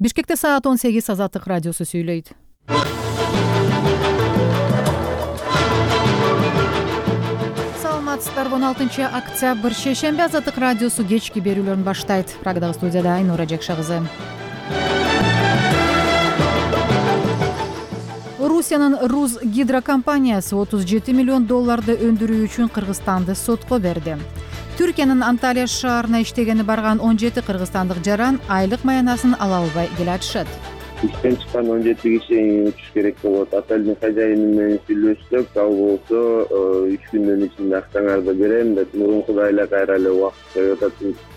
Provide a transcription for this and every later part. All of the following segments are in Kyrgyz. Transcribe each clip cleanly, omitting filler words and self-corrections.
Бишкекте саат 18 Азаттык радиосу сүйлөйт. Саламатсыздарбы, 16-октябрь шейшемби Азаттык радиосу кечки берүүлөрүн баштайт. Прагадагы студияда Айнура Жекша кызы. Русиянын Руз гидрокомпаниясы $37 миллион өндүрүү үчүн Кыргызстанды сотко берди. Түркиянын Анталия шаарына иштегени барган 17 кыргызстандык жаран айлык маянасын ала албай келатышат. Иштен чыккан 17 киши учуш керек болот. Отелдин хозяйны менен сүйлөштүк. Ал болсо 3 күндүн ичинде акчаңарды берем деп, мурункудай эле кайра эле убакыт коюп атат.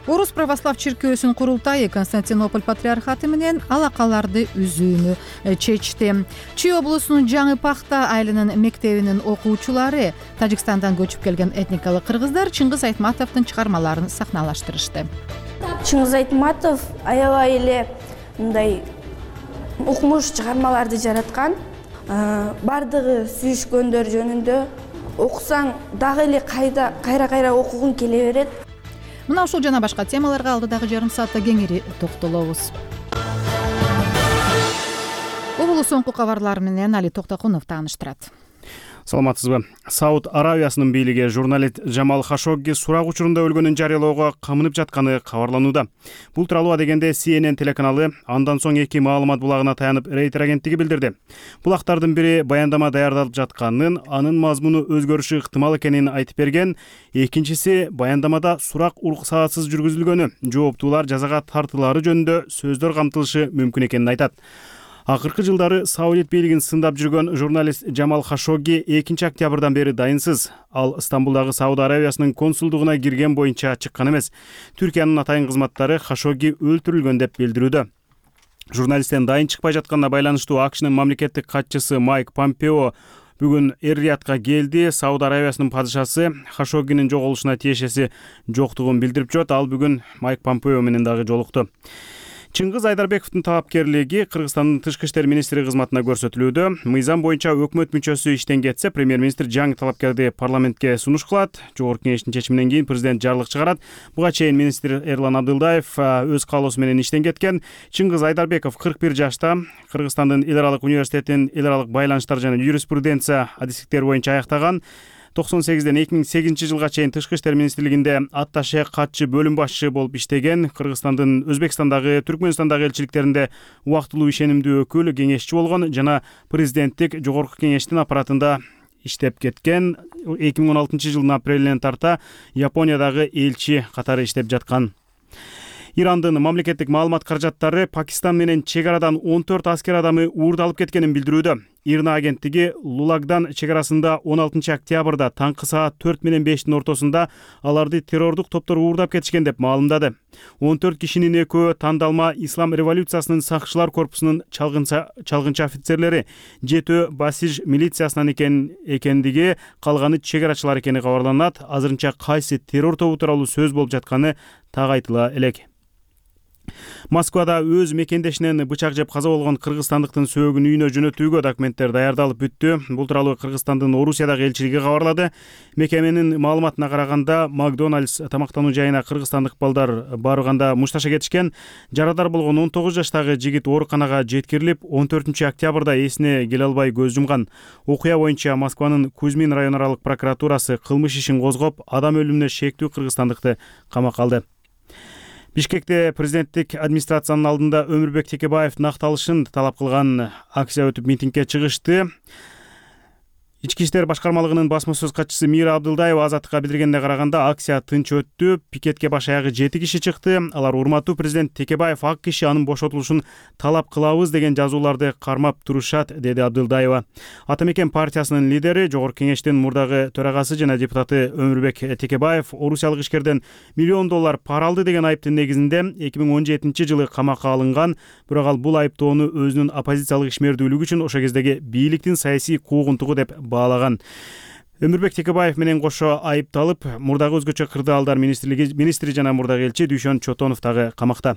Орус православ чиркөөсүнүн курултайы Константинополь патриархаты менен алакаларды үзүүнү чечти. Чүй облусунун Жаңы Пахта айылынын мектебинин окуучулары Тажикстандан көчүп келген этникалык кыргыздар Чыңгыз Айтматовдун чыгармаларын сахналаштырышты. Чыңгыз Айтматов аябай эле мындай укмуш чыгармаларды жараткан. Бардыгы сүйүшкөндөр жөнүндө окусаң дагы эле кайра окугуң келе берет. Мына ушул жана башка темаларга алдыдагы жарым саатта кеңири токтолобуз. Облус соңку кабарлары менен Али Токтокунов тааныштырат. Саламатсызбы. Сауд Аравиясынын бийлиги журналист Жамал Хашогги сурак учурунда өлгөнүн жарыялоого камынып жатканы кабарланууда. Бул тууралуу дегенде CNN телеканалы андан соң эки маалымат булагына таянып Рейтер агенттиги билдирди. Булактардын бири баяндама даярдалып жатканын, анын мазмуну өзгөрүшү ыктымал экенин айтып берген, экинчиси баяндамада сурак уруксаатсыз жүргүзүлгөнү, жооптуулар жазага тартылаары жөнүндө сөздөр камтылышы мүмкүн экенин айтат. Акыркы жылдары Саудит бийлигин сындап жүргөн журналист Жамал Хашогги 2 октябрдан бери дайынсыз. Ал Стамбулдагы Сауд Аравиясынын консулдугуна кирген боюнча чыккан эмес. Түркиянын атайын кызматтары Хашогги өлтүрүлгөн деп билдирүүдө. Журналисттен дайын чыкпай жатканына байланыштуу АКШнын мамлекеттик катчысы Майк Помпео бүгүн Эр-Риядка келди. Сауд Аравиясынын падышасы Хашоггинин жоголушуна тиешеси жоктугун билдирип жүрөт. Ал бүгүн Майк Помпео менен дагы жолукту. Чыңгыз Айдарбековдун талапкерлиги Кыргызстандын тышкы иштер министри кызматына көрсөтүлүүдө. Мыйзам боюнча өкмөт мүчөсү иштен кетсе, премьер-министр жаңы талапкерди парламентке сунуш кылат. Жогорку кеңештин чечиминен кийин президент жарлык чыгарат. Буга чейин министр Эрлан Абдылдаев өз каалоосу менен иштен кеткен. Чыңгыз Айдарбеков 41 жашта. Кыргызстандын эл аралык университетин эл аралык байланыштар жана юриспруденция адистиктери боюнча аяктаган. 98-ден 2008 жылга чейин тышкы иштер министрлигинде атташе катчы бөлүм башчы болуп иштеген. Кыргызстандын Өзбекстандагы, Түркмөнстандагы элчиликтеринде убактылуу ишенимдүү өкүл, кеңешчи болгон жана президенттик жогорку кеңештин аппаратында иштеп кеткен. 2016 жылдын апрелинен тарта Япониядагы элчи катары иштеп жаткан. Ирандын мамлекеттик маалымат каражаттары Пакистан менен чек арадан 14 аскер адамы уурдалып кеткенин билдирүүдө. Ирна агенттиги Лулагдан чек-арасында 16 октябрда таңкы саат 4 менен 5-тин ортосунда аларды террордук топтор уурдап кетишкен деп маалымдады. 14 кишинин экөө тандалма Ислам революциясынын сакчылар корпусунун чалгынчы офицерлери, 7 Басиж милициясынан экендиги, калганы чек-арачылар экени кабарланат. Азырынча кайсы террор тобу тууралуу сөз болуп жатканы так айтыла элек. Москвада өз мекендешинен бычак жеп каза болгон кыргызстандыктын сөөгүн үйүнө жөнөтүүгө документтер даярдалып бүттү. Бул тууралуу Кыргызстандын Орусиядагы элчилиги кабарлады. Мекеменин маалыматына караганда, Макдональдс тамактануу жайына кыргызстандык балдар барганда мушташа кетишкен. Жарадар болгон 19 жаштагы жигит ооруканага жеткирилип, 14 октябрда эсине келе албай көз жумган. Окуя боюнча Москванын Кузьмин район аралык прокуратурасы кылмыш ишин козгоп, адам өлүмүнө шектүү кыргызстандыкты камакка алды. Бишкекте президенттик администрациянын алдында Өмүрбек Текебаевдин акталышын талап кылган акция өтүп митингге чыгышты. Ички иштер башкармалыгынын басма сөз катчысы Мира Абдылдаева Азаттыкка билдиргенине караганда, акция тынч өттү. Пикетке баш аягы 7 киши чыкты. Алар урматтуу президент Текебаев ак киши, анын бошотулушун талап кылабыз деген жазууларды кармап турушат, деди Абдылдаева. Ата Мекен партиясынын лидери, жогорку кеңештин мурдагы төрагасы жана депутаты Өмүрбек Текебаев орусиялык ишкерден $1 миллион пара алды деген айыптын негизинде 2017 жылы камакка алынган. Бирок ал бул айыптоону өзүнүн оппозициялык ишмердүүлүгү үчүн ошо кездеги бийликтин саясий куугунтугу деп баалаган. Өмүрбек Текебаев менен кошо айыпталып, мурдагы өзгөчө кырдаалдар министри жана мурдагы элчи Дүйшөн Чотонов дагы камакта.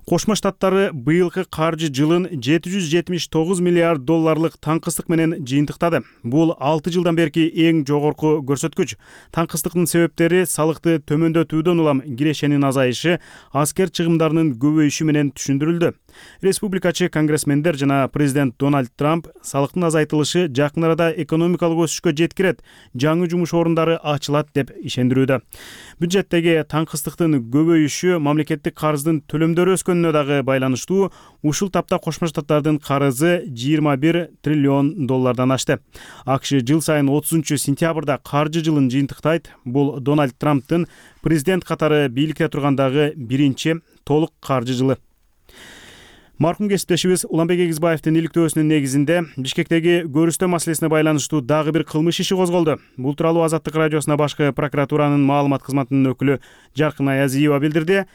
Кошмо Штаттары быйылкы каржы жылын 779 миллиард долларлык таңкыстык менен жыйынтыктады. Бул 6 жылдан берки эң жогорку көрсөткүч. Таңкыстыктын себептери салыкты төмөндөтүүдөн улам кирешенин азайышы, аскер чыгымдарынын көбөйүшү менен түшүндүрүлдү. Республикачы конгрессмендер жана президент Дональд Трамп салыктын азайтылышы жакын арада экономикалык өсүшкө жеткирет, жаңы жумуш орундары ачылат деп ишендирүүдө. Бюджеттеги таңкыстыктын көбөйүшү мамлекеттик карыздын төлөмдөрү өскөнүнө дагы байланыштуу. Ушул тапта Кошмо Штаттардын карызы 21 триллион доллардан ашты. АКШ жыл сайын 30-сентябрда каржы жылын жыйынтыктайт. Бул Дональд Трамптын президент катары бийликте тургандагы биринчи толук каржы жылы. Маркум кесиптешибиз Уланбек Эгизбаевдин иликтөөсүнүн негизинде Бишкектеги көрүстөө маселесине байланыштуу дагы бир кылмыш иши козголду. Бул тууралуу Азаттык радиосуна башкы прокуратуранын маалымат кызматынын өкүлү Жаркын Аязиева билдирди.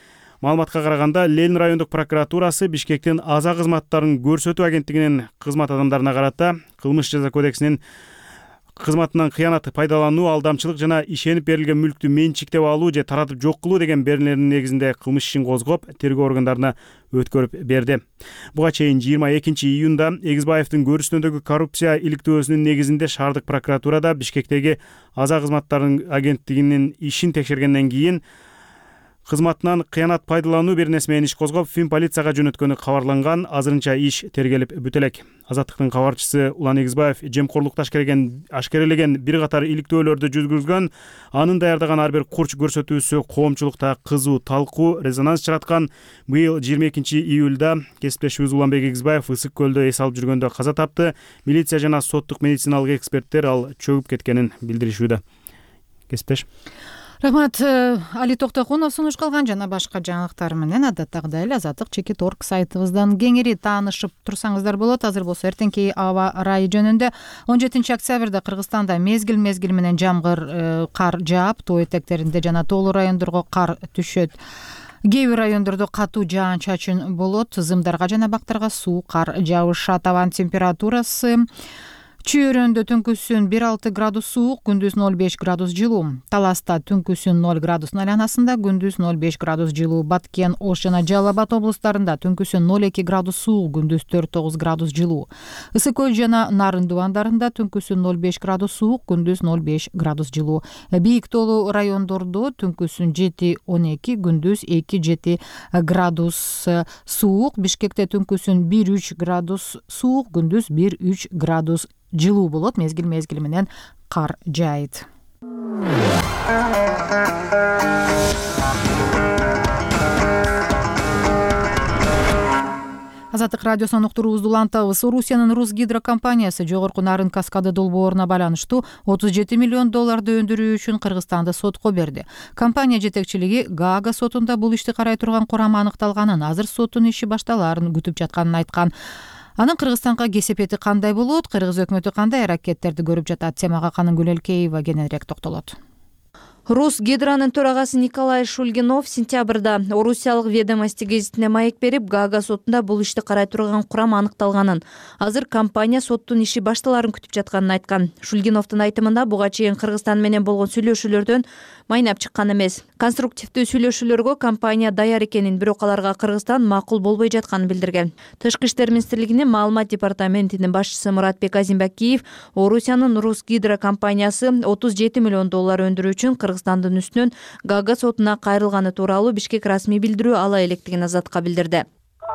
Маалыматка караганда, Ленин райондук прокуратурасы Бишкектин аза кызматтарын көрсөтүү агенттигинин кызмат адамдарына карата кылмыш жаза кодексинин кызматынан кыянат пайдалануу, алдамчылык жана ишенип берилген мүлктү менчиктеп алуу же таратып жок кылуу деген берүүлөрдүн негизинде кылмыш ишин козгоп, тергөө органдарына өткөрүп берди. Буга чейин 22-июнда Эгизбаевдин көрүстөөдөгү коррупция иликтөөсүнүн негизинде шаардык прокуратурада Бишкектеги аза кызматтарынын агенттигинин ишин текшергенден кийин кызматынан кыянат пайдалануу беренеси менен иш козгоп, Фин полицияга жөнөткөнү кабарланган. Азырынча иш тергелип бүтө элек. Азаттыктын кабарчысы Улан Эгизбаев жемкорлукту ашкерелеген бир катар иликтөөлөрдү жүргүзгөн. Анын даярдаган ар бир курч көрсөтүүсү коомчулукта кызуу талкуу, резонанс чыгаткан. Быйыл 22-июлда кесиптешибиз Уланбек Эгизбаев Ысык көлдө эс алып жүргөндө каза тапты. Милиция жана соттук медициналык эксперттер ал чөгүп кеткенин билдиришүүдө. Кесиптеш. Рахмат. Али Токтокунов сунуш калган жана башка жаңылыктар менен адаттагыдай эле Азаттык Чекит.орг сайтыбыздан кеңири таанышып турсаңыздар болот. Азыр болсо эртеңки аба ырайы жөнүндө 17-октябрда Кыргызстанда мезгил менен жамгыр кар жаап, тоо этектеринде жана тоолуу райондорго кар түшөт. Кээ бир райондордо катуу жаан-чачын болот. Зымдарга жана бактарга суу кар жаабышат. Абанын температурасы Чүйөрөндө түнкүсүн 1-6 градус суук, күндүз 0,5 градус жылуу. Таласта түнкүсүн 0 градустун айланасында, күндүз 0,5 градус жылуу. Баткен, Ош жана Жалал Абад облустарында түнкүсүн 0,2 градус суук, күндүз 4,9 градус жылуу. Ысык көл жана Нарын дубандарында түнкүсүн 0,5 градус суук, күндүз 0,5 градус жылуу. Бийик тоолуу райондордо түнкүсүн 7-12, күндүз 2-7 градус суук. Бишкекте түнкүсүн 1-3 градус суук, күндүз 1-3 градус жылуу болот. Мезгил менен кар жаайт. Азаттык радиосунун уктуруубузду улантабыз. Орусиянын Русгидро компаниясы жогорку Нарын каскады долбооруна байланыштуу 37 миллион долларды өндүрүү үчүн Кыргызстанды сотко берди. Компания жетекчилиги Гаага сотунда бул ишти карай турган курам аныкталганын, азыр соттун иши башталаарын күтүп жатканын айткан. Анын Кыргызстанга кесепети кандай болот? Кыргыз өкмөтү кандай аракеттерди көрүп жатат? Темага Канын Гүлелкеева кененирээк токтолот. Русгидронун төрагасы Николай Шульгинов сентябрда Орусиялык Ведомости гезитине маек берип, Гаага сотунда бул ишти карай турган курам аныкталганын, азыр компания соттун иши башталаарын күтүп жатканын айткан. Шульгиновдун айтымында буга чейин Кыргызстан менен болгон сүйлөшүүлөрдөн майнап чыккан эмес. Конструктивдүү сүйлөшүүлөргө компания даяр экенин, бирок аларга Кыргызстан макул болбой жатканын билдирген. Тышкы иштер министрлигинин маалымат департаментинин башчысы Муратбек Азимбакиев Орусиянын Русгидро компаниясы 37 миллион доллар өндүрүү үчүн Кыргызстандын үстүнөн Гаага сотуна кайрылганы тууралуу Бишкек расмий билдирүү ала электигин Азатка билдирди.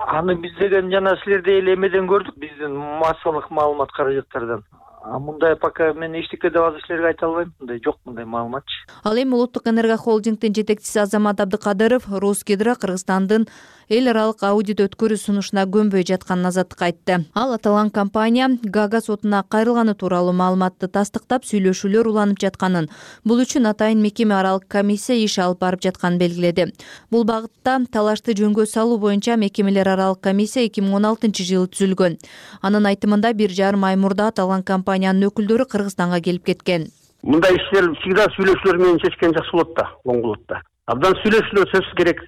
Аны биз деген жана силерде эле эмеден көрдүк, биздин массалык маалымат каражаттардан. Мындай пока мен эчтеке деп азыр силерге айта албайм. Мындай жок, мындай маалыматчы. Ал эми Улуттук энерго холдингдин жетекчиси Азамат Абдыкадыров Русгидро Кыргызстандын эл аралык аудит өткөрүү сунушуна көнбөй жатканын Азаттыкка айтты. Ал аталган компания Гаага сотуна кайрылганы тууралуу маалыматты тастыктап, сүйлөшүүлөр уланып жатканын, бул үчүн атайын мекеме аралык комиссия иш алып барып жатканын белгиледи. Бул багытта талашты жөнгө салуу боюнча мекемелер аралык комиссия 2016-жылы түзүлгөн. Анын айтымында 1,5 ай мурда аталган компаниянын өкүлдөрү Кыргызстанга келип кеткен. Мындай иштер всегда сүйлөшүүлөр менен чечкен жакшы болот да, оң болот да. Абдан сүйлөшүүлөр сөзсүз керек.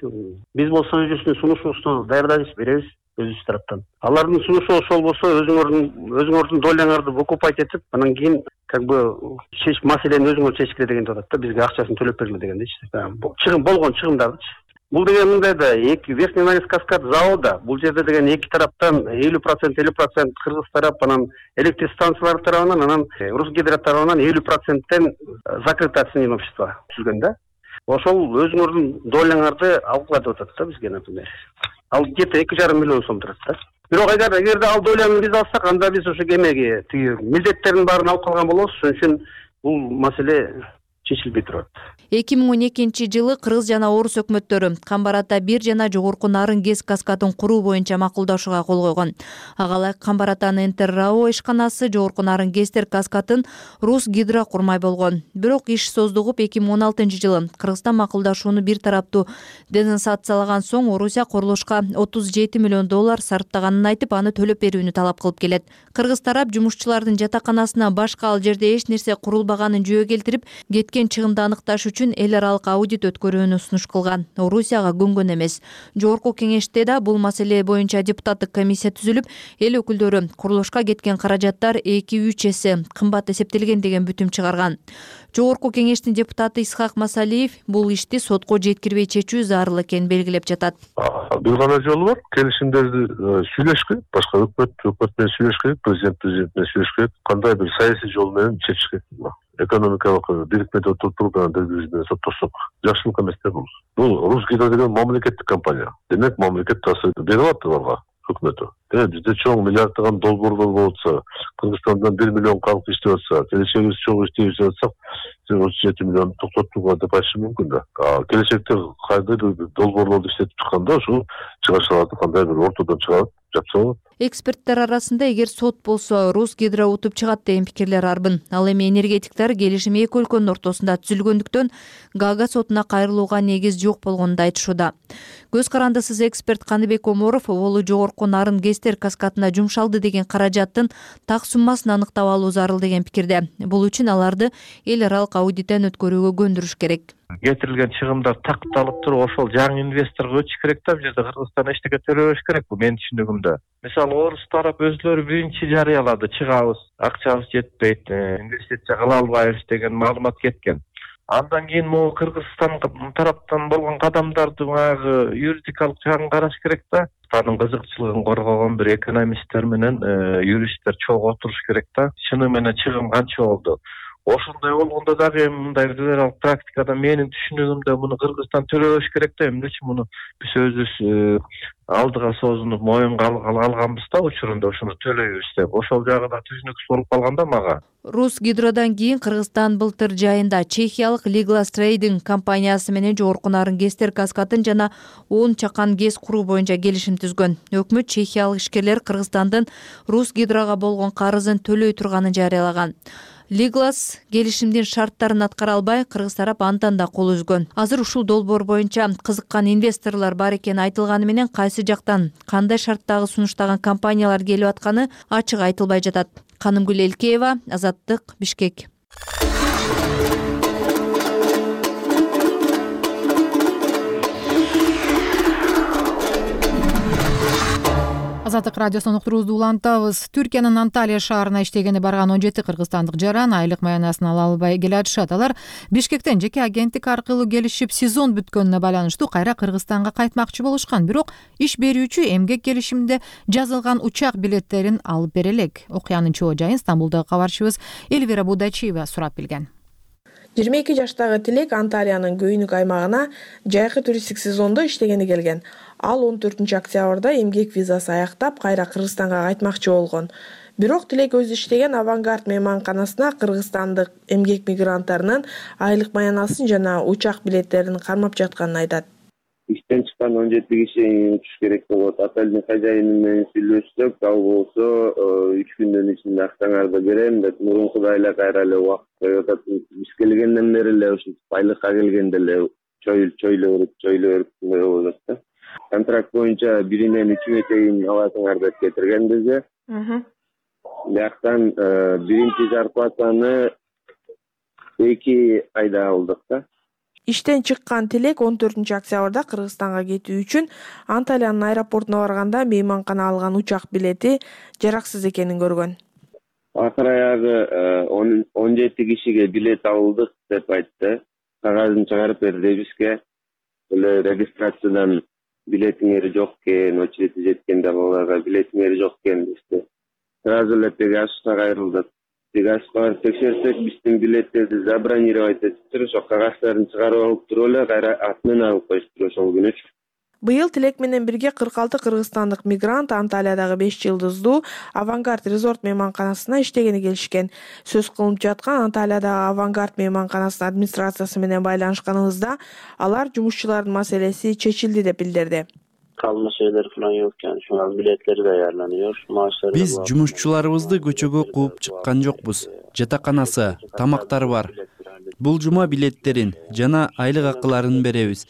Биз болсо өзүбүздүн сунушубузду даярдайбыз, беребиз өзүбүз тараптан. Алардын сунушу ошол болсо өзүңөрдүн доляңарды выкупать этип, анан кийин маселени өзүңөр чечкиле дегенди атат да, бизге акчасын төлөп бергиле дегендейчи. Болгон чыгымдарды Бул деген мындай да, Верхний Ногинск каскад завода, бул жерде деген эки тараптан 50% кыргыз тарап, анан электр станциялары тарабынан, анан Русгидро тарабынан 50%тен закрытое акционерное общество түзүлгөн да. Ошол өзүңөрдүн доляңарды алгыла деп атат да бизге, например. Ал где-то 2,5 миллион сом турат да. Бирок эгерде ал доляны биз алсак, анда биз ошо кемеге тиги милдеттердин баарын алып калган болобуз. Ошон үчүн бул маселе чечилбей турат. 2012-жылы Кыргыз жана Орус өкмөттөрү Камбарата 1 жана жогорку Нарын ГЭС каскатын куруу боюнча макулдашууга кол койгон. Ага ылайык Камбаратанын Интеррао ишканасы жогорку Нарын ГЭСтер каскатын Русгидро курмай болгон. Бирок иш создугуп 2016-жылы Кыргызстан макулдашууну бир тараптуу денонсациялаган соң Орусия курулушка $37 миллион сарптаганын айтып, аны төлөп берүүнү талап кылып келет. Кыргыз тарап жумушчулардын жатаканасына башка ал жерде эч нерсе курулбаганын жөө келтирип, кеткен чыгымды аныкташ үчүн эл аралык аудит өткөрүүнү сунуш кылган. Орусияга көнгөн эмес. Жогорку кеңеште да бул маселе боюнча депутаттык комиссия түзүлүп, эл өкүлдөрү курулушка кеткен каражаттар 2-3 эсе кымбат эсептелген деген бүтүм чыгарган. Жогорку кеңештин депутаты Исхак Масалиев бул ишти сотко жеткирбей чечүү зарыл экенин белгилеп жатат. Бир гана жолу бар, келишимдерди сүйлөш керек, башка өкмөт менен сүйлөш керек, президент менен сүйлөш керек, кандай бир саясий жол менен чечиш керек. Экономикалык бирикмеде отуруп биз менен соттошсок жакшылык эмес да бул. Бул Русгидро деген мамлекеттик компания. Демек мамлекет тасып берип атты аларга өкмөтү. Бизде чоң миллиарддаган долбоорлор болуп атса, Кыргызстандан 1 миллион калк иштеп атса, келечегибиз чоң иштеп атсак, 37 миллион токтотууга деп айтышым мүмкүн да. Келечекте кайда долбоорлорду иштетип чыкканда ошол чыгашаларды кандай бир ортодон чыгарып жапса болот. Эксперттер арасында эгер сот болсо Русгидро утуп чыгат деген пикирлер арбын. Ал эми энергетиктер келишим эки өлкөнүн ортосунда түзүлгөндүктөн Гага сотуна кайрылууга негиз жок болгонун айтышууда. Көз карандысыз эксперт Каныбек Оморов Олу жогорку Нарын ГЭСтер каскатына жумшалды деген каражаттын так суммасын аныктап алуу зарыл деген пикирде. Бул үчүн аларды эл аралык аудиттен өткөрүүгө көндүрүш керек. Кетирилген чыгымдар такталып туруп, ошол жаңы инвесторго өтүш керек да, бул жерде Кыргызстан эчтеке төлөбөш керек, бул менин түшүнүгүмдө. Мисалы Орус тарап өзлөрү биринчи жарыялады, чыгабыз, акчабыз жетпейт, инвестиция кыла албайбыз деген маалымат кеткен. Андан кийин могу Кыргызстан тараптан болгон кадамдарды баягы юридикалык жагын караш керек да. Кыргызстандын кызыкчылыгын коргогон бир экономисттер менен юристтер чогуу отуруш керек да. Чыны менен чыгым канча болду? Ошондой болгондо дагы мындай федералдык практикада менин түшүнүгүмдө муну Кыргызстан төлөбөш керек да. Эмнечи муну биз өзүбүз алдыга созунуп моюнга алганбыз да учурунда, ошону төлөйбүз деп. Ошол жагы да түшүнүксүз болуп калган да мага. Русгидродан кийин Кыргызстан былтыр жайында чехиялык Liglas Trading компаниясы менен жогорку Нарын ГЭСтер каскатын жана 10 чакан ГЭС куруу боюнча келишим түзгөн. Өкмөт чехиялык ишкерлер Кыргызстандын Русгидрога болгон карызын төлөй турганын жарыялаган. Liglas келишимдин шарттарын аткара албай, кыргыз тарап андан да кол үзгөн. Азыр ушул долбоор боюнча кызыккан инвесторлор бар экени айтылганы менен кайсы жактан кандай шарттагы сунуштаган компаниялар келип атканы ачык айтылбай жатат. Канымгүл Элкеева, Азаттык, Бишкек. Азаттык радиосунун уктуруубузду улантабыз. Түркиянын Анталия шаарына иштегени барган 17 кыргызстандык жаран айлык маянасын ала албай келатышат. Алар Бишкектен жеке агенттик аркылуу келишип, сезон бүткөнүнө байланыштуу кайра Кыргызстанга кайтмакчы болушкан. Бирок иш берүүчү эмгек келишимде жазылган учак билеттерин алып бере элек. Окуянын чоо жайын Стамбулдагы кабарчыбыз Эльвира Будачиева сурап билген. 22 жаштагы Тилек Анталиянын көйнүк аймагына жайкы туристтик сезондо иштегени келген. Ал 14 октябрда эмгек визасы аяктап, кайра Кыргызстанга кайтмакчы болгон. Бирок Тилек өзү иштеген Авангард мейманканасына кыргызстандык эмгек мигранттарынын айлык маянасын жана учак билеттерин кармап жатканын айтат. Иштен чыккан 17 киши учуш керек болот. Отелдин хозяйыны менен сүйлөштүк, ал болсо 3 күндүн ичинде акчаңарды берем деп мурункудай эле кайра эле убакыт коюп атат. Биз келгенден бери эле ушинтип айлыкка келгенде эле чойло берип болот да. Контракт боюнча биринен 3-гө чейин аласыңар деп кетирген бизге. Бияктан биринчи зарплатаны 2 айда алдык да. Иштен чыккан Тилек 14 октябрда Кыргызстанга кетүү үчүн Анталиянын аэропортуна барганда мейманкана алган учак билети жараксыз экенин көргөн. Акыр аягы 17 кишиге билет алдык деп айтты. Кагазын чыгарып берди бизге. эле регистрациядан билетиңер жок экен, очередь жеткенде аларга билетиңер жок экен дешти. Сразу эле Пегасусга кайрылдык. Пегасуска барып текшерсек, биздин билеттерди забронировать этиптир, ошо кагаздарын чыгарып алып туруп эле кайра атынан алып коюштур ошол күнүчү. Быйыл тилек менен бирге 46 кыргызстандык мигрант Анталиядагы 5 жылдыздуу Авангард резорт мейманканасына иштегени келишкен. Сөз кылынып жаткан Анталиядагы Авангард мейманканасынын администрациясы менен байланышканыбызда алар жумушчулардын маселеси чечилди деп билдирди. Калма şeyler falan yokken şu an biletleri ayarlanıyor. Maaşları Биз жумушчуларыбызды көчөгө кууп чыккан жокпуз. Жатаканасы, тамактары бар. Бул жума билеттерин жана айлык акыларын беребиз.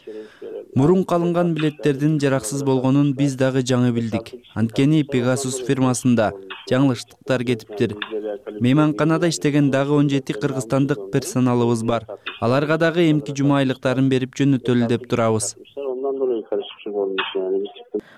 Мурунку алынган билеттердин жараксыз болгонун биз дагы жаңы билдик. Анткени Pegasus фирмасында жаңылыштыктар кетиптир. Мейманканада иштеген дагы 17 кыргызстандык персоналыбыз бар. Аларга дагы эмки жума айлыктарын берип жөнөтөлү деп турабыз.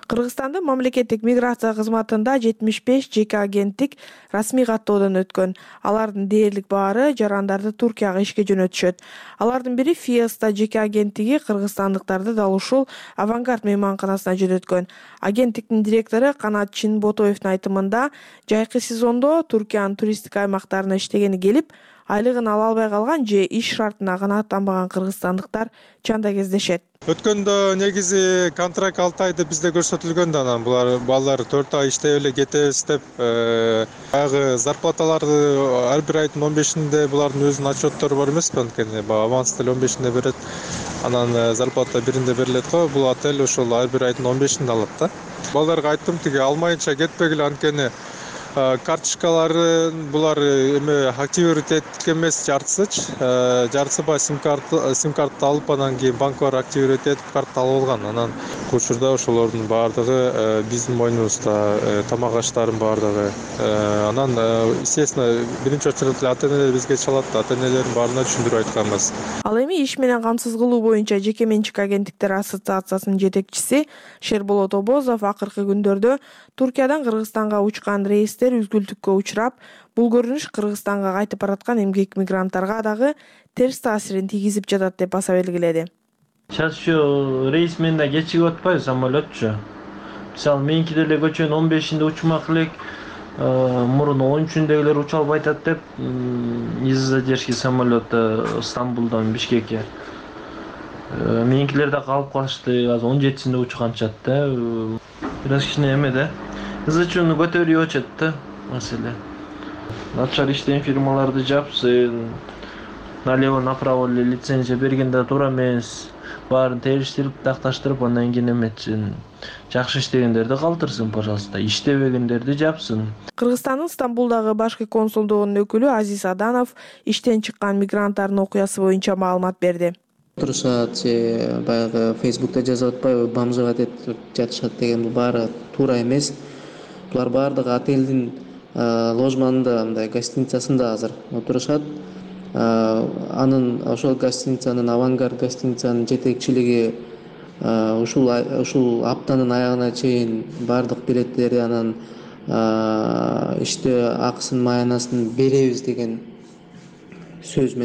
Кыргызстандын мамлекеттик миграция кызматында 75 жеке агенттик расмий каттоодон өткөн. Алардын дээрлик баары жарандарды Туркияга ишке жөнөтүшөт. Алардын бири Fiesta жеке агенттиги кыргызстандыктарды дал ушул Авангард мейманканасына жөнөткөн. Агенттиктин директору Канат Чинботоевдун айтымында, жайкы сезондо Туркиянын туристтик аймактарына иштегени келип, айлыгын ала албай калган же иш шартына канааттанбаган кыргызстандыктар чанда кездешет. Өткөндө негизи контракт 6 айды бизде көрсөтүлгөн да, анан булар балдар 4 ай иштеп эле кетебиз деп, баягы зарплаталарды ар бир айдын 15-инде булардын өзүнүн отчеттору бар эмеспи, анткени аванс деле 15-инде берет. Анан зарплата биринде берилет го, бул отель ошол ар бир айдын 15-инде алат да. Балдарга айттым, тиги алмайынча кетпегиле, анткени карточкалары булар эме активировать эткен эмес, жартысы ба сим картты алып, анан кийин банкалар активировать этип картты алып алган. Анан учурда ошолордун баардыгы биздин мойнубузда, тамак аштардын баардыгы. Анан естественно биринчи очередь ата-энелер бизге чалат, ата-энелердин баарына түшүндүрүп айтканбыз. Ал эми иш менен камсыз кылуу боюнча жеке менчик агенттиктер ассоциациясынын жетекчиси Шерболот Обозов акыркы күндөрдө Туркиядан Кыргызстанга учкан рейстер үзгүлтүккө учурап, бул көрүнүш Кыргызстанга кайтып бараткан эмгек мигранттарга дагы терс таасирин тийгизип жатат деп баса белгиледи. Сейчас şu рейс менен да кечигип атпайбы самолетчу. Мисалы меники деле көчөнүн 15-инде учмак элек, мурун 13-үндөгүлөр уча албай атат деп, из-за задержки самолета Стамбулдан Бишкекке. Меникилер да калып калышты, азыр 17-синде учканчат да. Бираз кичине эме да. Ызычууну көтөрүп өчөт да маселе. Начар иштеген фирмаларды жапсын, налево-направо лицензия бергенде туура эмес, баарын териштирип, такташтырып, андан кийин эметсин. Жакшы иштегендерди калтырсын, пожалуйста, иштебегендерди жапсын. Кыргызстандын Стамбулдагы башкы консулдугунун өкүлү Азиз Аданов иштен чыккан мигранттардын окуясы боюнча маалымат берди. Турушат, баягы Facebook'ta жазып атпайбы, бомжовать этип жатышат деген, бул баары туура эмес. Булар баардыгы отелдин ложманында, мындай гостиницасында азыр отурушат. Анын ошол гостиницанын, Авангард гостиницанын жетекчилиги ушул аптанын аягына чейин баардык билеттерди, анан иште акысын, маянасын беребиз деген сөз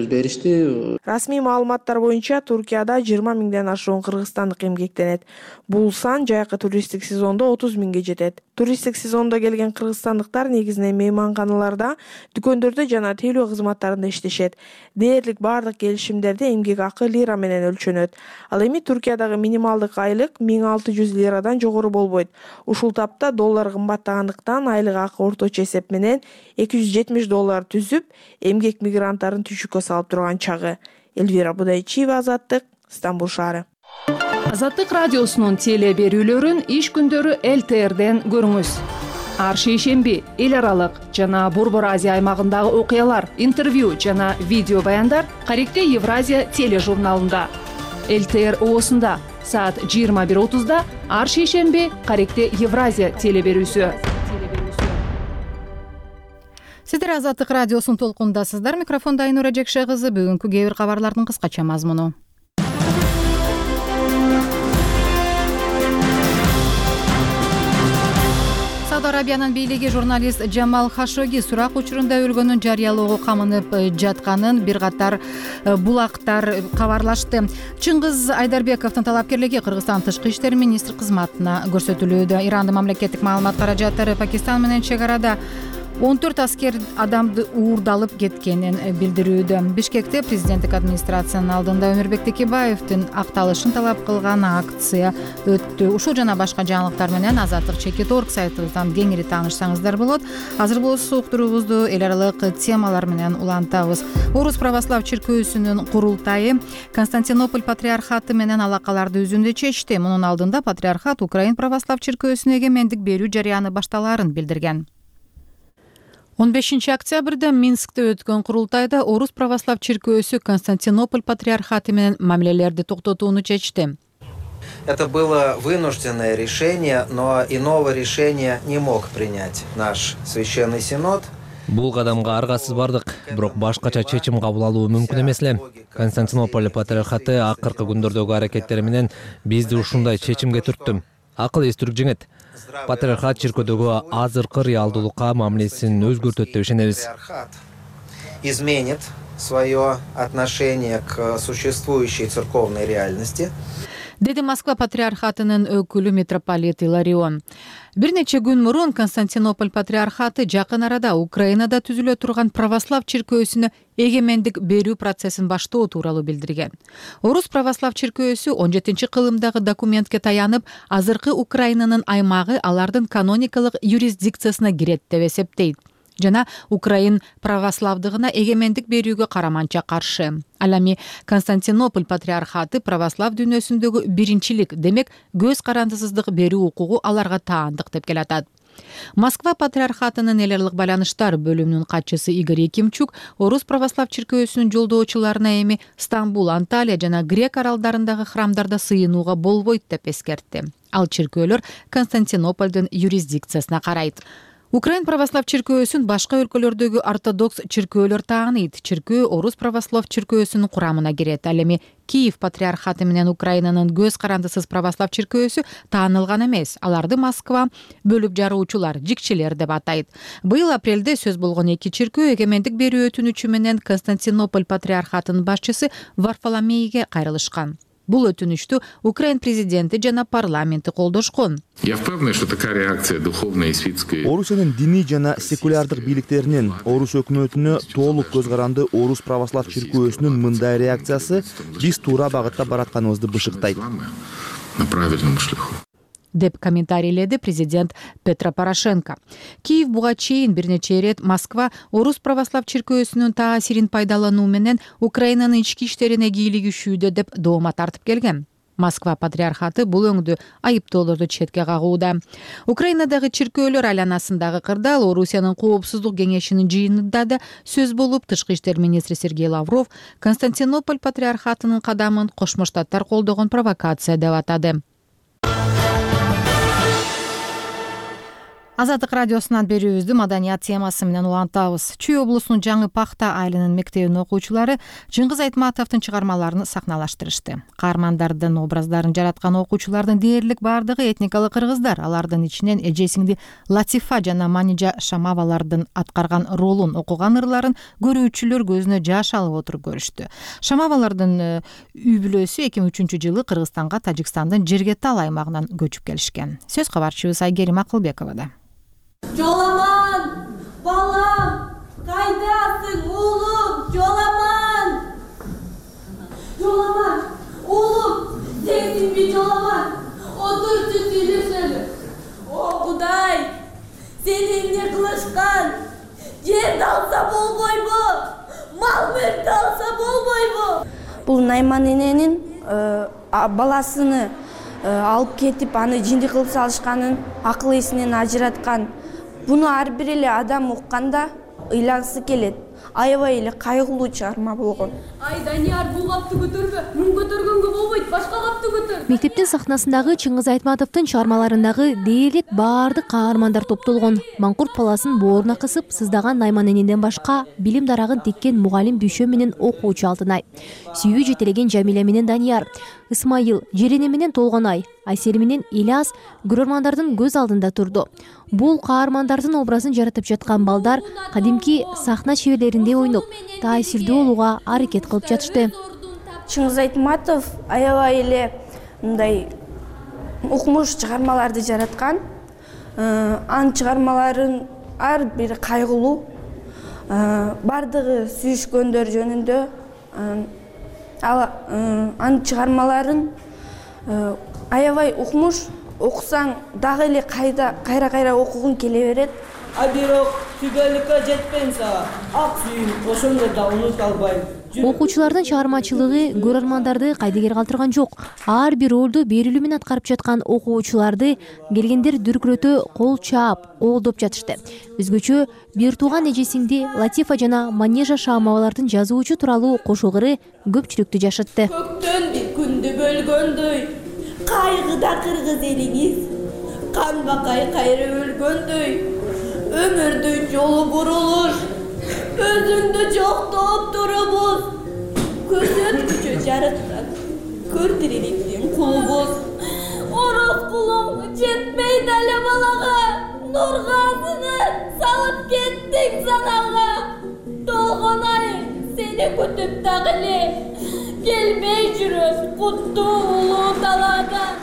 беришти. Расмий маалыматтар боюнча Туркияда 20 миңден ашуун кыргызстандык эмгектенет. Бул сан жайкы туристтик сезондо 30 миңге жетет. Туристтик сезондо келген кыргызстандыктар негизинен мейманканаларда, дүкөндөрдө жана тейлөө кызматтарында иштешет. Дээрлик бардык келишимдерде эмгек акы лира менен өлчөнөт. Ал эми Туркиядагы минималдык айлык 1600 лирадан жогору болбойт. Ушул тапта доллар кымбаттагандыктан айлык акы орточо эсеп менен $270 түзүп, эмгек мигранттарын түшүккө салып турган чагы. Эльвира Будайчиева, Азаттык, Стамбул шаары. Азаттык радиосунун теле берүүлөрүн иш күндөрү ЛТРден көрүңүз. Ар шейшемби эл аралык жана Борбор Азия аймагындагы окуялар, интервью жана видео баяндар Каректе Евразия тележурналында. ЛТР оосунда саат 21:30 ар шейшемби Каректе Евразия теле берүүсү. Сиздер Азаттык радиосунун толкундасыздар. Микрофондо Айнура Жекше кызы. Бүгүнкү кээ бир кабарлардын кыскача мазмуну. Сауд Арабиянын бийлиги журналист Жамал Хашоги сурак учурунда өлгөнүн жарыялоого камынып жатканын бир катар булактар кабарлашты. Чыңгыз Айдарбековдун талапкерлиги Кыргызстан тышкы иштер министри кызматына көрсөтүлүүдө. Ирандын мамлекеттик маалымат каражаттары Пакистан менен чек арада 14 аскер адамды уурдалып кеткенин билдирүүдө. Бишкекте президенттик администрациянын алдында Өмүрбек Текебаевдин акталышын талап кылган акция өттү. Ушул жана башка жаңылыктар менен Азаттык Чекит.org сайтыбыздан кеңири таанышсаңыздар болот. Азыр болсо уктуруубузду эл аралык темалар менен улантабыз. Орус православ чиркөөсүнүн курултайы Константинополь патриархаты менен алакаларды үзүүнү чечти. Мунун алдында патриархат Украин православ чиркөөсүнө эгемендик берүү жарыяны башталаарын билдирген. 15 октябрда Минскте өткөн курултайда Орус православ чиркөөсү Константинополь патриархаты менен мамилелерди токтотууну чечти. Это было вынужденное решение, но иного решения не мог принять наш священный синод. Бул кадамга аргасыз бардык, бирок башкача чечим кабыл алуу мүмкүн эмес эле. Константинополь патриархаты акыркы күндөрдөгү аракеттери менен бизди ушундай чечимге түрттү. Акыл эстүрүк жеңет. Патриархат чиркөөдөгү азыркы реалдуулукка мамилесин өзгөртөт деп ишенебиз. Изменит свое отношение к существующей церковной реальности. Деди Москва патриархатынын өкүлү митрополит Иларион. Бир нече күн мурун Константинополь патриархаты жакын арада Украинада түзүлө турган православ чиркөөсүнө эгемендик берүү процессин баштоо тууралуу билдирген. Орус православ чиркөөсү 17-кылымдагы документке таянып, азыркы Украинанын аймагы алардын каноникалык юрисдикциясына кирет деп эсептейт жана Украин православдыгына эгемендик берүүгө караманча каршы. Ал эми Константинополь патриархаты православ дүйнөсүндөгү биринчилик, демек көз карандысыздык берүү укугу аларга таандык деп келатат. Москва патриархатынын эл аралык байланыштар бөлүмүнүн катчысы Игорь Якимчук Орус православ чиркөөсүнүн жолдоочуларына эми Стамбул, Анталия жана Грек аралдарындагы храмдарда сыйынууга болбойт деп эскертти. Ал чиркөөлөр Константинопольдун юрисдикциясына карайт. Украин православ чиркөөсүн башка өлкөлөрдөгү ортодокс чиркөөлөр тааныйт. Чиркөө Орус православ чиркөөсүнүн курамына кирет. Ал эми Киев патриархаты менен Украинанын көз карандысыз православ чиркөөсү таанылган эмес. Аларды Москва бөлүп жаруучулар, жикчилер деп атайт. Быйыл апрелде сөз болгон эки чиркөө эгемендик берүү өтүнүчү менен Константинополь патриархатынын башчысы Варфоломейге кайрылышкан. Бул өтүнүштү Украин президенти жана парламенти колдошкон. Я впевнений, что такая реакция духовной и светской. Орусиянын диний жана секулярдык бийликтеринин Орус өкмөтүнө толук көз каранды Орус православ чиркөөсүнүн мындай реакциясы биз туура багытта баратканыбызды бышыктайт. На правильном шляху. Деп комментарийледи президент Петро Порошенко. Киев буга чейин бир нече ирет Москва Орус православ чиркөөсүнүн таасирин пайдалануу менен Украинанын ички иштерине кийлигишүүдө деп доoma тартып келген. Москва патриархаты бул өңдү айыптоолорду четке кагууда. Украинадагы чиркөөлөр айланасындагы кырдаал Орусиянын коопсуздук кеңешинин жыйынында да сөз болуп, тышкы иштер министри Сергей Лавров Константинополь патриархатынын кадамын Кошмо Штаттар колдогон провокация деп атады. Азаттык радиосунан берүүбүздү маданият темасы менен улантабыз. Чүй облусунун Жаңы Пахта айылынын мектебинин окуучулары Чыңгыз Айтматовдун чыгармаларын сахналаштырышты. Каармандардын образдарын жараткан окуучулардын дээрлик бардыгы этникалык кыргыздар. Алардын ичинен эжесиңди Латифа жана Манижа Шамавалардын аткарган ролун, окуган ырларын көрүүчүлөр көзүнө жаш алып отуруп көрүштү. Шамавалардын үй бүлөсү 2003-жылы Кыргызстанга Тажикстандын Жергетал аймагынан көчүп келишкен. Сөз кабарчыбыз Айгерим Акылбековада. Жоламан, балам, кайдасың, улум, Жоламан? Жоламан, улум, сенсиңби Жоламан? Отурчу сүйлөшөлү. О, Кудай, сени эмне кылышкан? Жерди алса болбойбу? Мал-мүлктү алса болбойбу? Бул Найман эненин баласыны алып кетип, аны жинди кылып салышканын акыл эсинен ажыраткан. Буну ар бир эле адам укканда ыйлагысы келет. Аябай эле кайгылуу чыгарма болгон. Ай, Данияр, бул капты көтөрбө. Мун көтөргөнгө болбойт, башка капты көтөр. Мектептин сахнасындагы Чыңгыз Айтматовдун чыгармаларындагы дээрлик баардык каармандар топтолгон. Маңкурт баласын бооруна кысып сыздаган Найман энеден башка билим дарагын теккен мугалим Бүйшө менен окуучу Алтынай, сүйүү жетелеген Жамиля менен Данияр, Исмайыл, Жерене менен Толгонай, Айсери менен Ильяс көрөрмандардын көз алдында турду. Бул каармандардын образын жаратып жаткан балдар кадимки сахна чеберлеринде ойноп, таасирдүү болууга аракет кылып жатышты. Чыңгыз Айтматов аябай эле мындай укмуш чыгармаларды жараткан. Анын чыгармаларын ар бир кайгылуу, бардыгы сүйүшкөндөр жөнүндө. Анын чыгармаларын аябай укмуш, окусаң дагы эле кайра окугуң келе берет. А бирок түгөлүккө жетпейм сага. Ак сүйүм, ошондо да унута албайм. Окуучулардын чыгармачылыгы көрөрмандарды кайдыгер калтырган жок. Ар бир ролду берилүү менен аткарып жаткан окуучуларды келгендер дүркүрөтө кол чаап, оолдоп жатышты. Өзгөчө бир тууган эжесиңди Латифа жана Манежа Шаамовалардын жазуучу тууралуу кошугуру көпчүлүктү жашатты. Көктөн бир күндү бөлгөндөй, кайгыда кыргыз элиңиз, канбакай кайра өлгөндөй, өмүрдүн жолу бурулуш, өзүңдү жоктоп турубуз, көрсөткүчү жарыктан, көр тириликтин кулубуз. Ороз кулуң жетпейт эле балага, нургасыны салып кеттиң санага. Толгон ай сени күтүп дагы эле, келбей жүрөт куттуу улуу даладан.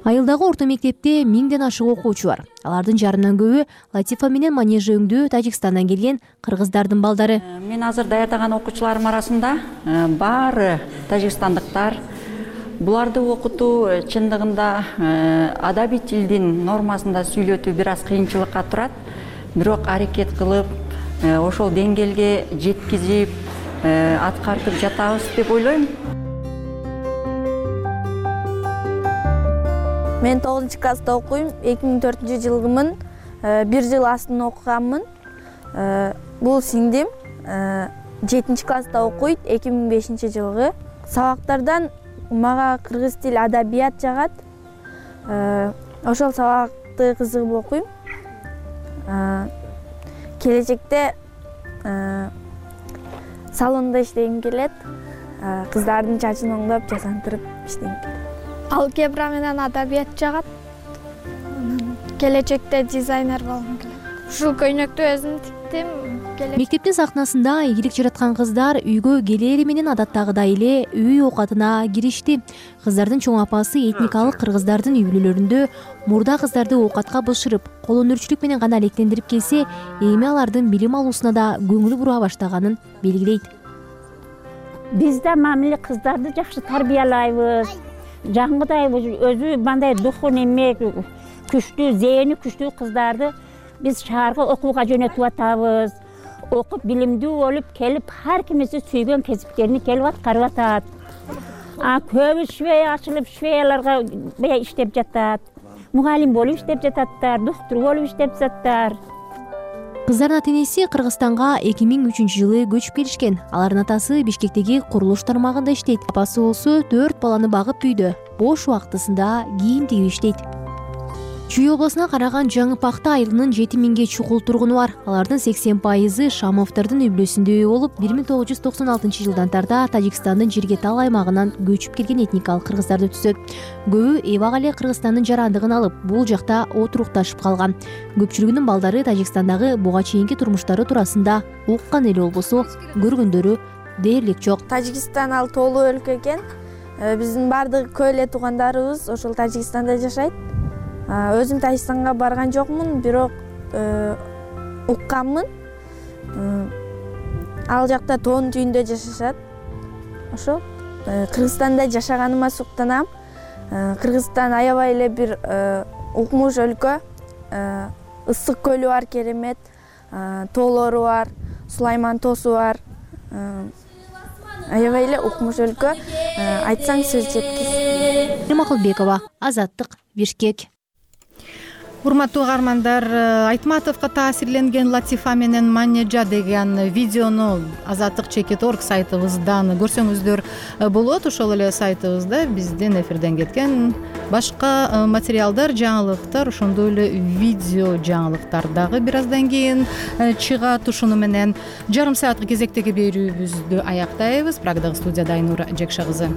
Айылдагы орто мектепте 1000ден ашык окуучу бар. Алардын жарымдан көбү Латифа менен Манежа өңдүү Тажикстандан келген кыргыздардын балдары. Мен азыр даярдаган окуучуларым арасында баары тажикстандыктар. Буларды окутуу чындыгында адабий тилдин нормасында сүйлөтүү бир аз кыйынчылыкка турат. Бирок аракет кылып, ошол деңгээлге жеткизип, аткартып жатабыз деп ойлойм. Мен 9-класста окуйм, 2004-жылгымын, 1 жыл астын окуганмын. Бул сиңдим 7-класста окуйт, 2005-жылгы. Сабактардан мага кыргыз тил адабият жагат. Ошол сабакты кызыгып окуйм. Келечекте салондо иштегим келет. Кыздардын чачын оңдоп, жасандырып иштегим келет. Алгебра менен адабият жагат. Келечекте дизайнер болгум келет. Ушул көйнөктү өзүм тиктим. Мектептин сахнасында ийгилик жараткан кыздар үйгө келери менен адаттагыдай эле үй оокатына киришти. Кыздардын чоң апасы этникалык кыргыздардын үй бүлөлөрүндө мурда кыздарды оокатка бышырып, колөнөрчүлүк менен гана алектендирип келсе, эми алардын билим алуусуна да көңүл бура баштаганын белгилейт. Биз да мамиле кыздарды жакшы тарбиялайбыз. Жаңгыдай өзү мындай духу неме күчтүү, зээни күчтүү кыздарды биз шаарга окууга жөнөтүп атабыз. Окуп билимдүү болуп келип, ар кимиси сүйгөн кесиптерин келип аткарып атат. Көбү швея ачылып, швеяларга иштеп жатат. Мугалим болуп иштеп жататтар, доктор болуп иштеп жататтар. Кыздардын ата-энеси Кыргызстанга 2003-жылы көчүп келишкен. Алардын атасы Бишкектеги курулуш тармагында иштейт. Апасы болсо 4 баланы багып үйдө. Бош убактысында кийим тигип иштейт. Чүй обласына караган Жаңыпакта айылынын 7000ге чукул тургуну бар. Алардын 80% Шамовдордун үй бүлөсүндө болуп, 1996-жылдан тарта Тажикстандын Жиргетал аймагынан көчүп келген этникалык кыргыздарды түзөт. Көбү эбак эле Кыргызстандын жарандыгын алып, бул жакта отурукташып калган. Көпчүлүгүнүн балдары Тажикстандагы буга чейинки турмуштары туурасында уккан эле болбосо, көргөндөрү дээрлик жок. Тажикстан ал тоолуу өлкө экен. Биздин бардык көө эле туугандарыбыз ошол Тажикстанда жашайт. Өзүм Тажикстанга барган жокмун, бирок укканмын. Ал жакта тоонун түбүндө жашашат. Ошол Кыргызстанда жашаганыма суктанам. Кыргызстан аябай эле бир укмуш өлкө. Ысык көлү бар, керемет. Тоолору бар, Сулайман тоосу бар. Аябай эле укмуш өлкө. Айтсаң сөз жеткис. Макулбекова, Азаттык, Бишкек. Урматтуу угармандар, Айтматовго таасирленген Латифа менен Манежа деген видеону Азаттык.org сайтыбыздан көрсөңүздөр болот. Ошол эле сайтыбызда биздин эфирден кеткен башка материалдар, жаңылыктар, ошондой эле видео жаңылыктар дагы бир аздан кийин чыгат. Ушуну менен жарым саатка кезектеги берүүбүздү аяктайбыз. Прагдагы студияда Айнура Жекша кызы.